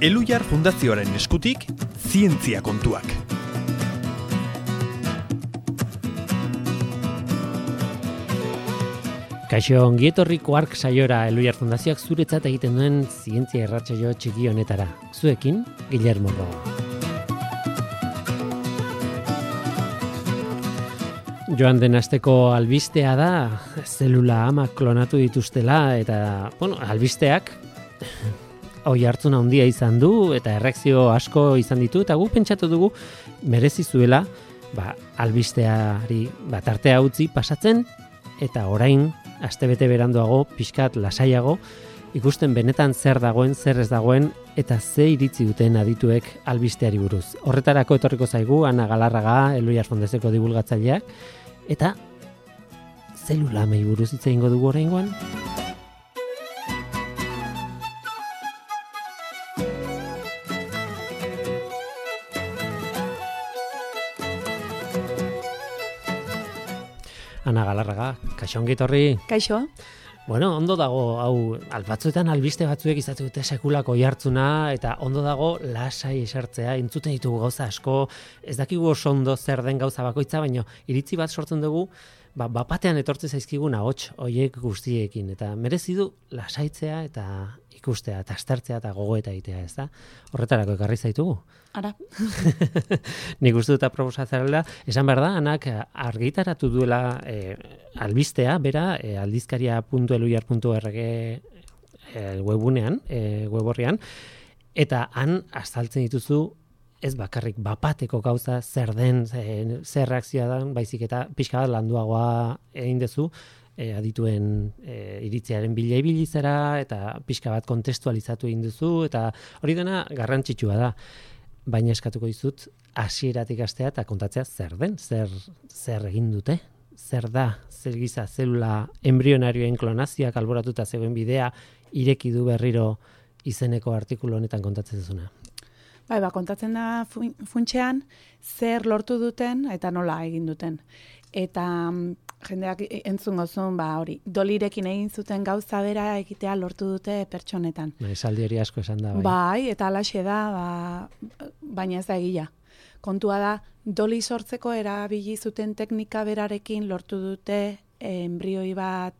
Elhuyar Fundazioaren eskutik, zientzia kontuak. Kaixo, ongietorri Quark saiora Elhuyar Fundazioak zuretzat egiten duen zientzia irratsaio txiki honetara. Zuekin, Guillermo Roa. Joan den asteko albistea da, zelula ama klonatu dituztela, eta, albisteak oihartzun handia izan du, eta erreakzio asko izan ditu, eta gu pentsatu dugu merezi zuela, albisteari tartea utzi pasatzen, eta orain, astebete beranduago, pixkat lasaiago, ikusten benetan zer dagoen, zer ez dagoen, eta ze iritzi duten adituek albisteari buruz. Horretarako etorriko zaigu, Ana Galarraga, Elhuyar Fundazioko divulgatzaileak, eta zelulamei buruz hitz egingo dugu oraingoan. Ana Galarraga, kaixo ongi etorri. Kaixo. Bueno, ondo dago, hau, batzuetan albiste batzuek izaten dute sekulako oihartzuna, eta ondo dago lasai esartzea, entzuten ditugu gauza asko, ez dakigu oso ondo zer den gauza bakoitza, baina iritzi bat sortzen dugu, bapatean etortzen zaizkigun ahots hoiek guztiekin, eta merezi du lasaitzea eta ikustea, eta aztertzea eta gogoeta egitea, ez da? Horretarako ekarri zaitugu. Ara. Nik uste dut aproposatzea esan behar da, Anak argitaratu duela albistea, bera, aldizkaria.elhuyar.org webunean, weborrian, eta han azaltzen dituzu ez bakarrik bapateko gauza zer den, zer reakzioa da, baizik eta pixka bat landuagoa egin dezu, adituen iritziaren bila ibilizera, eta pixka bat kontestualizatu egin duzu, eta hori dena garrantzitsua da. Baina eskatuko dizut, hasieratik hastea eta kontatzea zer den, zer egin dute, zer da, zer giza zelula embrionarioen klonazioak alboratuta zegoen bidea ireki du berriro izeneko artikulu honetan kontatzen duzuna. Kontatzen da funtsean zer lortu duten eta nola egin duten. Eta jendeak entzungo zuen, hori, dolirekin egin zuten gauza bera egitea lortu dute pertsonetan. Esaldi hori asko esan da. Bai, eta alaxe da, baina ez da egia. Kontua da, doli sortzeko erabili zuten teknika berarekin lortu dute embrioi bat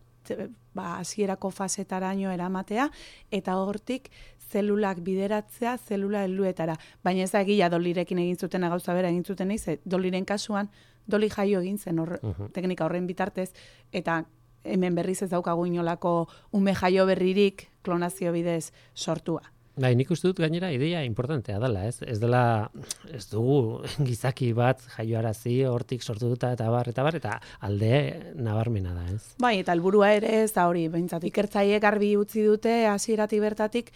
hasierako fasetaraino eramatea, eta hortik zelulak bideratzea zelula helduetara. Baina ez da egia dolirekin egin zuten gauza bera egin zuten eiz, doliren kasuan doli jaio egin zen teknika horren bitartez, eta hemen berriz ez daukagu inolako ume jaio berririk klonazio bidez sortua. Nik uste dut gainera ideia importantea dela, ez? Ez dugu gizaki bat jaioarazi hortik sortu duta eta bar, eta alde nabarmena da, ez? Eta helburua ere ez da hori, behintzat ikertzaileek garbi utzi dute hasieratik bertatik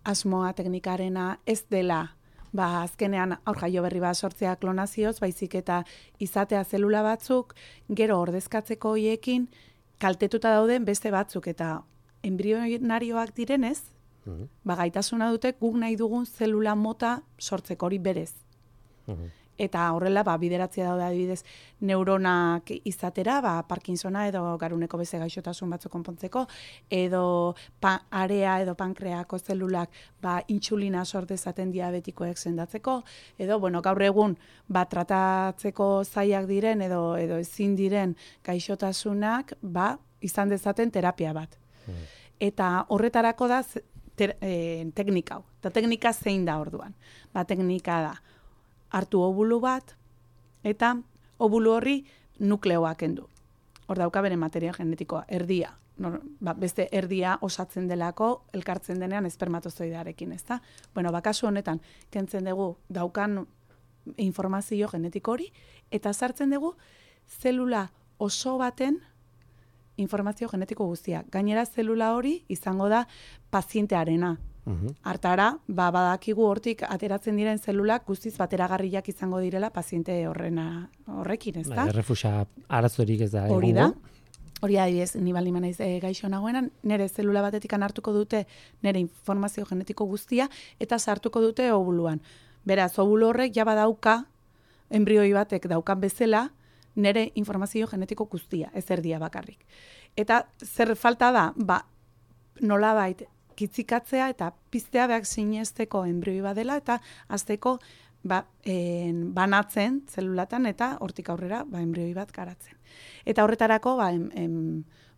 asmoa teknikarena ez dela azkenean aur jaio berri bat sortzea klonazioz, baizik eta izatea zelula batzuk, gero ordezkatzeko hoiekin kaltetuta dauden beste batzuk, eta embrionarioak direnez, gaitasuna dute guk nahi dugun zelula mota sortzeko hori berez. Eta horrela, bideratzea daude adibidez neuronak izatera, Parkinsona edo garuneko beste gaixotasun batzuk konpontzeko, edo area edo pankreako zelulak intsulina sortezaten diabetikoek sendatzeko, edo gaur egun tratatzeko zaiak diren edo ezin diren gaixotasunak izan dezaten terapia bat. Eta horretarako da teknika hau. Eta teknika zein da orduan? Teknika da hartu obulu bat, eta obulu horri nukleoak kendu. Hor dauka bere materia genetikoa, erdia. Beste erdia osatzen delako, elkartzen denean espermatozoidearekin, ez da? Kasu honetan, kentzen dugu daukan informazio genetiko hori, eta sartzen dugu zelula oso baten informazio genetiko guztia. Gainera zelula hori izango da pazientearena. Hartara, badakigu hortik ateratzen diren zelulak guztiz bateragarriak izango direla paziente horrekin, ez da? Errefusa arazorik ez da. Hori da. Hori adibidez, ni baldin banaiz gaixo nagoenan, nire zelula batetik hartuko dute nire informazio genetiko guztia eta sartuko dute obuluan. Beraz, obulu horrek ja badauka, embrioi batek daukan bezala, nire informazio genetiko guztia, ez erdia bakarrik. Eta zer falta da, nolabait kitzikatzea eta piztea behar sinesteko enbrioi badela eta azteko banatzen zelulatan eta hortik aurrera enbrioi bat garatzen. Eta horretarako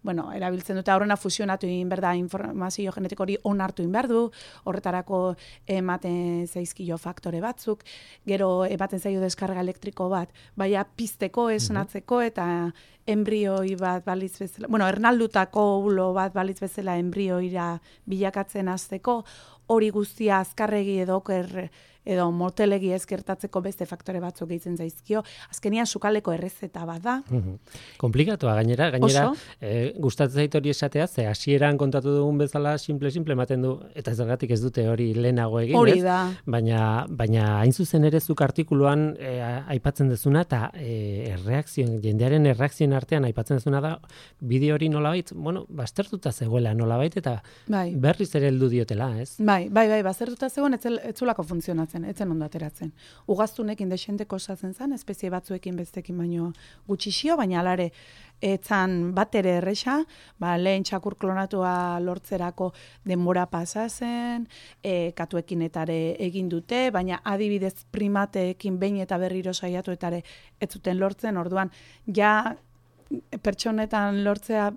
erabiltzen dute aurrena fusionatu egin behar da informazio genetiko hori onartu egin behar du, horretarako ematen zaizkio faktore batzuk, gero ematen zaio deskarga elektriko bat, baina pizteko, esnatzeko eta enbrioi bat balitz bezala, ernaldutako ovulo bat balitz bezala enbrioira bilakatzen hasteko, hori guztia azkarregi edo oker edo motelegi ezkertatzeko beste faktore batzuk gehitzen zaizkio. Azkenian sukaleko errezeta bat da. Komplikatua gainera gustatzen zait hori esatea, ze hasieran kontatu dugun bezala simple ematen du, eta zergatik ez dute hori lehenago egin, hori da. Baina hain zuzen ere zuk artikuluan aipatzen dezuna eta jendearen erreakzioen artean aipatzen dezuna da bideo hori nolabait, baztertuta zegoela nolabait eta berriz ere heldu diotela, ez? Bai, baztertuta zegoen ez zulako funtzionatzen. Etzen ondo ateratzen. Ugaztunekin desenteko osatzen zen, espezie batzuekin bestekin baino gutxixio, baina alare etzan bat ere erresa, lehen txakur klonatua lortzerako denbora pasa zen, katuekin etare egin dute, baina adibidez primateekin behin eta berriro saiatu etare ez zuten lortzen, orduan ja pertsonetan lortzea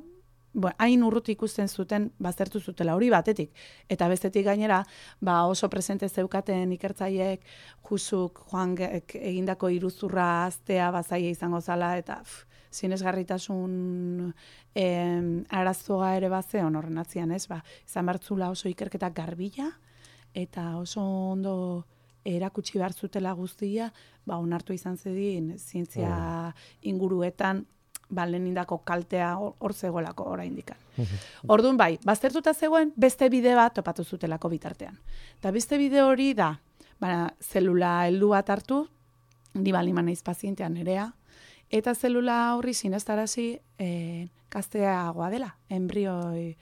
hain urruti ikusten zuten baztertu zutela hori batetik. Eta bestetik gainera, oso presente zeukaten ikertzaileek Jusuk Joan egindako iruzurra aztea bazaia izango zala, eta sinesgarritasun arazoa ere bazeon horren atzian, ez? Izan bertzula oso ikerketak garbila, eta oso ondo erakutsi behar zutela guztia, onartu izan zedin zientzia inguruetan, lehenindako kaltea hor zegoelako oraindik. Orduan baztertuta zegoen beste bide bat topatu zutelako bitartean. Eta beste bide hori da, zelula heldu bat hartu, ni balima naiz pazientean nerea, eta zelula horri sinestarazi gazteagoa dela, enbrioi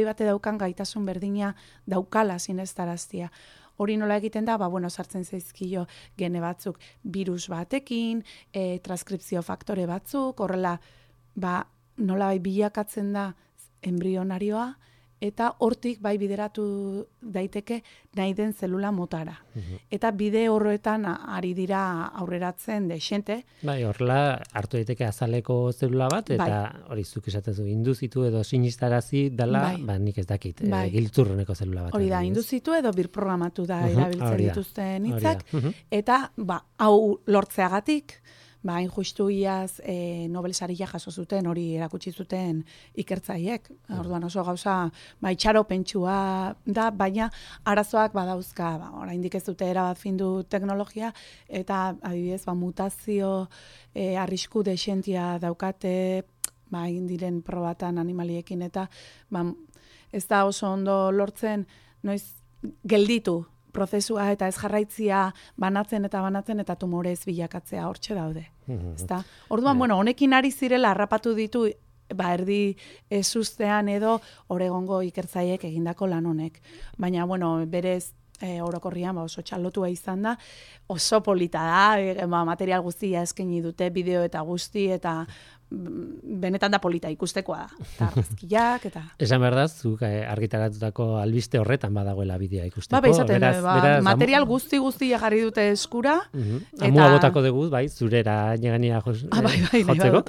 bate daukan gaitasun berdina daukala sinestaraztia. Hori nola egiten da, sartzen zaizkio gene batzuk virus batekin, transkripzio faktore batzuk, horrela, nola bilakatzen da embrionarioa, eta hortik bideratu daiteke nahi den zelula motara. Eta bide horretan ari dira aurreratzen dexente. Horrela hartu daiteke azaleko zelula bat, eta hori zuk esatezu induzitu edo sinistarazi dela, nik ez dakit, giltzurruneko zelula bat. Hori da, induzitu edo birprogramatu da erabiltzen dituzten hitzak, eta hau lortzeagatik, hain justu iaz Nobel saria jaso zuten, hori erakutsi zuten ikertzaiek. Orduan oso gauza itxaropentsua da, baina arazoak badauzka. Oraindik ez dute erabat findu teknologia, eta adibidez mutazio arrisku dexentia daukate, egin diren probatan animaliekin, eta ez da oso ondo lortzen, noiz gelditu prozesua eta ez jarraitzia banatzen eta tumorez bilakatzea hortxe daude. Orduan, honekin ari zirela harrapatu ditu erdi ezustean edo Oregongo ikertzaiek egindako lan honek. Baina, berez orokorrian oso txalotua izan da, oso polita da, material guztia eskaini dute, bideo eta guzti, eta benetan da polita ikustekoa da. Eta argazkiak, eta... Esan behar da, zuk argitaratutako albiste horretan badagoela bidea ikusteko. Material guzti jarri dute eskura. Amua botako dugu, zurera negania jotzeko.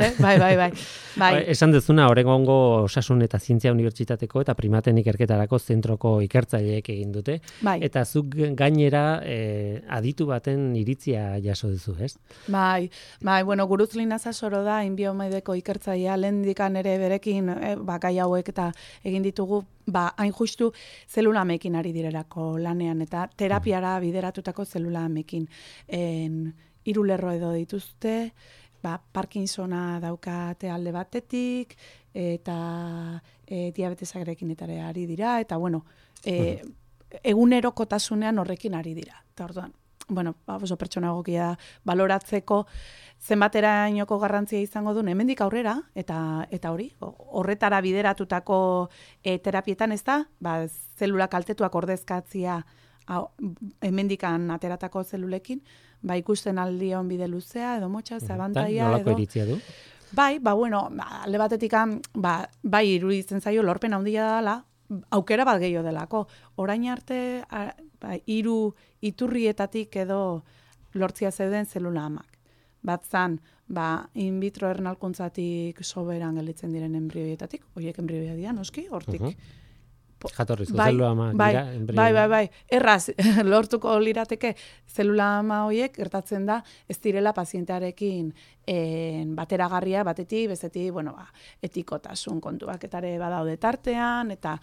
Bai. Esan dezuna, Oregongo Osasun eta Zientzia Unibertsitateko eta primaten ikerketarako zentroko ikertzaileek egin dute. Eta zuk gainera aditu baten iritzia jaso duzu, ez? Gurutz Linaza Soro da, inbiomaideko ikertzailea, lehendikan ere berekin gai hauek eta egin ditugu, hain justu zelulamekin ari direlako lanean, eta terapiara bideratutako zelulamekin. 3 lerro edo dituzte, Parkinsona daukate alde batetik, eta diabetesagrekin etare ari dira, eta egunerokotasunean horrekin ari dira. Eta orduan, oso pertsona egokia baloratzeko zenbaterainoko garrantzia izango duen hemendik aurrera, eta hori, horretara bideratutako terapietan ez da, zelula kaltetuak ordezkatzia hemendikan ateratako zelulekin, ikusten aldion bide luzea, edo motxa, zabantaia, edo... Nolako iritzia du? Alde batetik, iruditzen zaio lorpen handia dela, aukera bat gehiago delako. Orain arte, 3 iturrietatik edo lortzia zeuden zelula amak. Bat zan, in vitro ernalkuntzatik soberan gelditzen diren embrioietatik, horiek embrioia dira, noski, hortik. Jatorrizko zelula ama dira embrioia. Bai. Erraz, lortuko lirateke zelula ama horiek gertatzen da ez direla pazientearekin bateragarria batetik, bestetik, etikotasun kontuak etare badaude tartean, eta,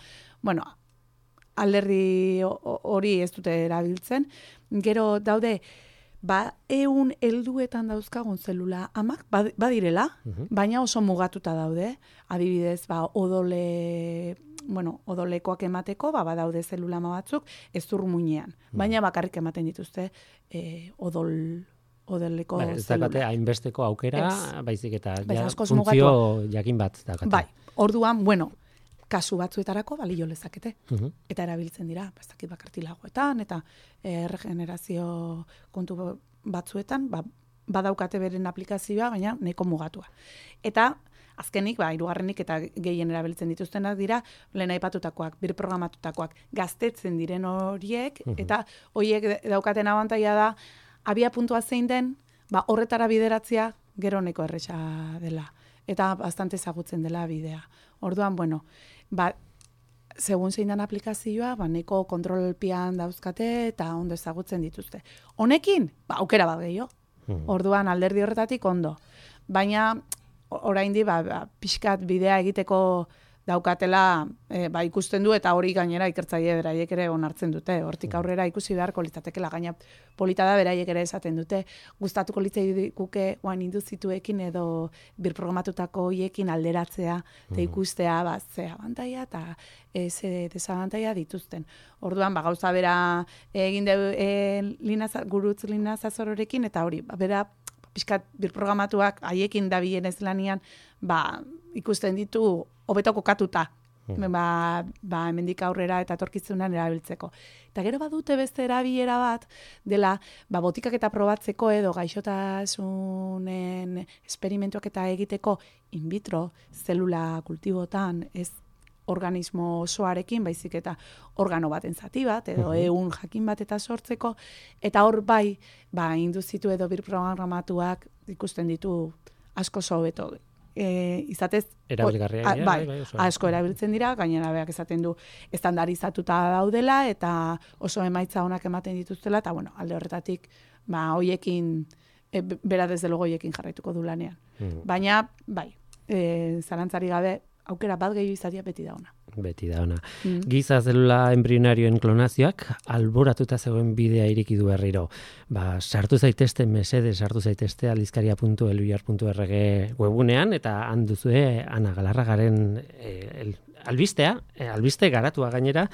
alderdi hori ez dute erabiltzen. Gero daude, 100 helduetan dauzkagun zelula amak badirela, baina oso mugatuta daude. Adibidez, odolekoak emateko, badaude zelula ama batzuk ez muinean. Baina bakarrik ematen dituzte odoleko zelula. Ez dakate hainbesteko aukera, baizik eta funtzio jakin bat dakate. Bai, orduan, kasu batzuetarako balio lezakete. Eta erabiltzen dira, ez bakartilagoetan, eta regenerazio kontu batzuetan, badaukate beren aplikazioa, baina nahiko mugatua. Eta azkenik, 3. eta gehien erabiltzen dituztenak dira, lehen aipatutakoak, birprogramatutakoak, gaztetzen diren horiek, eta horiek daukaten abantaila da, abia puntua zein den, horretara bideratzea gero neko erresa dela. Eta bastante ezagutzen dela bidea. Orduan, segun zein den aplikazioa, neko kontrolpian dauzkate eta ondo ezagutzen dituzte. Honekin, aukera bat gehiago. Orduan, alderdi horretatik ondo. Baina, oraindi, pixkat bidea egiteko daukatela, ikusten du, eta hori gainera ikertzaile beraiek ere onartzen dute. Hortik aurrera ikusi beharko litzatekela, gaina polita da beraiek ere esaten dute. Gustatuko litzaiguke induzituekin edo birprogramatutako hoiekin alderatzea, eta ikustea, ze abantaila eta ze desabantaila dituzten. Orduan, gauza bera egin gurutz Lina Zazororekin, eta hori, bera pixkat birprogramatuak haiekin dabilen ez lanian, ikusten ditu hobeto kokatuta. Hemendik aurrera eta etorkizunean erabiltzeko. Eta gero badute beste erabilera bat dela, botikak eta probatzeko edo gaixotasunen esperimentuak eta egiteko in vitro zelula kultibotan, ez organismo osoarekin, baizik eta organo baten zati bat, edo ehun jakin bat eta sortzeko, eta hor induzitu edo birprogramatuak ikusten ditu asko hobeto. Izatez, asko erabiltzen dira, gainera beak esaten du estandarizatuta daudela, eta oso emaitza onak ematen dituztela, eta alde horretatik, hoiekin, bera desde logo hoiekin jarraituko du lanean. Baina, zalantzari gabe, aukera bat gehiago izatea beti da ona. Beti da ona. Giza zelula embrionarioen klonazioak alboratuta zegoen bidea ireki du berriro. Sartu zaitezte aldizkaria.eluyar.org webunean, eta han duzue Ana Galarragaren albiste garatua gainera,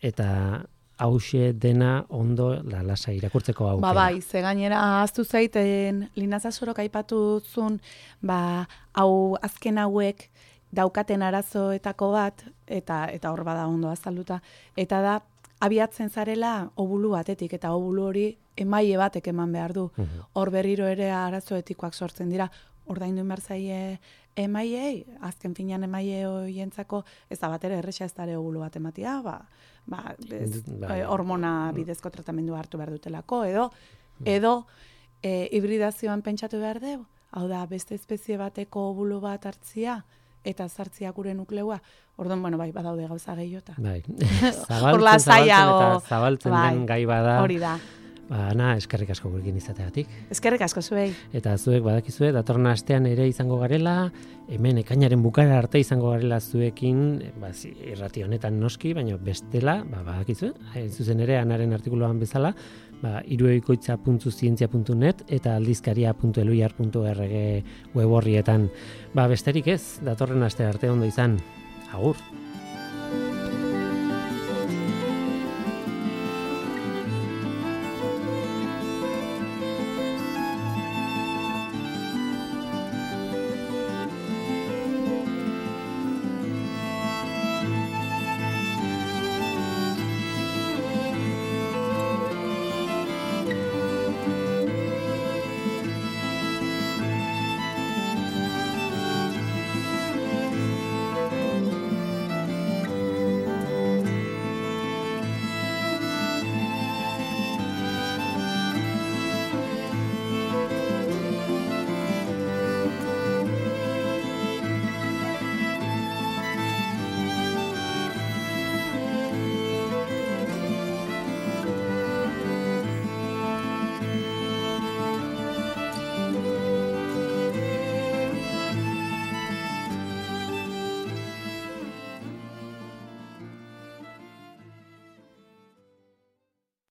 eta hauxe dena ondo lalasa irakurtzeko aukera. Ze gainera ahaztu zaiten Lina Zazorok aipatu zuen, hau azken hauek daukaten arazoetako bat, eta hor bada ondo azalduta, eta da, abiatzen zarela obulu batetik, eta obulu hori emaile batek eman behar du. Hor berriro ere arazoetikoak sortzen dira, ordaindu behar zaie emailei, azken finean emaile horientzako, ez da bat ere erresa ez dare obulu bat ematia, hormona bidezko tratamendu hartu behar dutelako, edo hibridazioan pentsatu behar du, hau da, beste espezie bateko obulu bat hartzia, eta zartzia gure nukleua, orduan, badaude gauza gehiota. Zabaltzen den gai bada. Hori da. Ana, eskerrik asko gurekin izateagatik. Eskerrik asko zuei. Eta zuek badakizue, datorren astean ere izango garela, hemen ekainaren bukara arte izango garela zuekin, irrati honetan noski, baina bestela, badakizue, zuzen ere Anaren artikuluan bezala, irueikoitza.zientzia.net eta aldizkaria.eluyar.org web horrietan. Besterik ez, datorren aste arte ondo izan. Agur!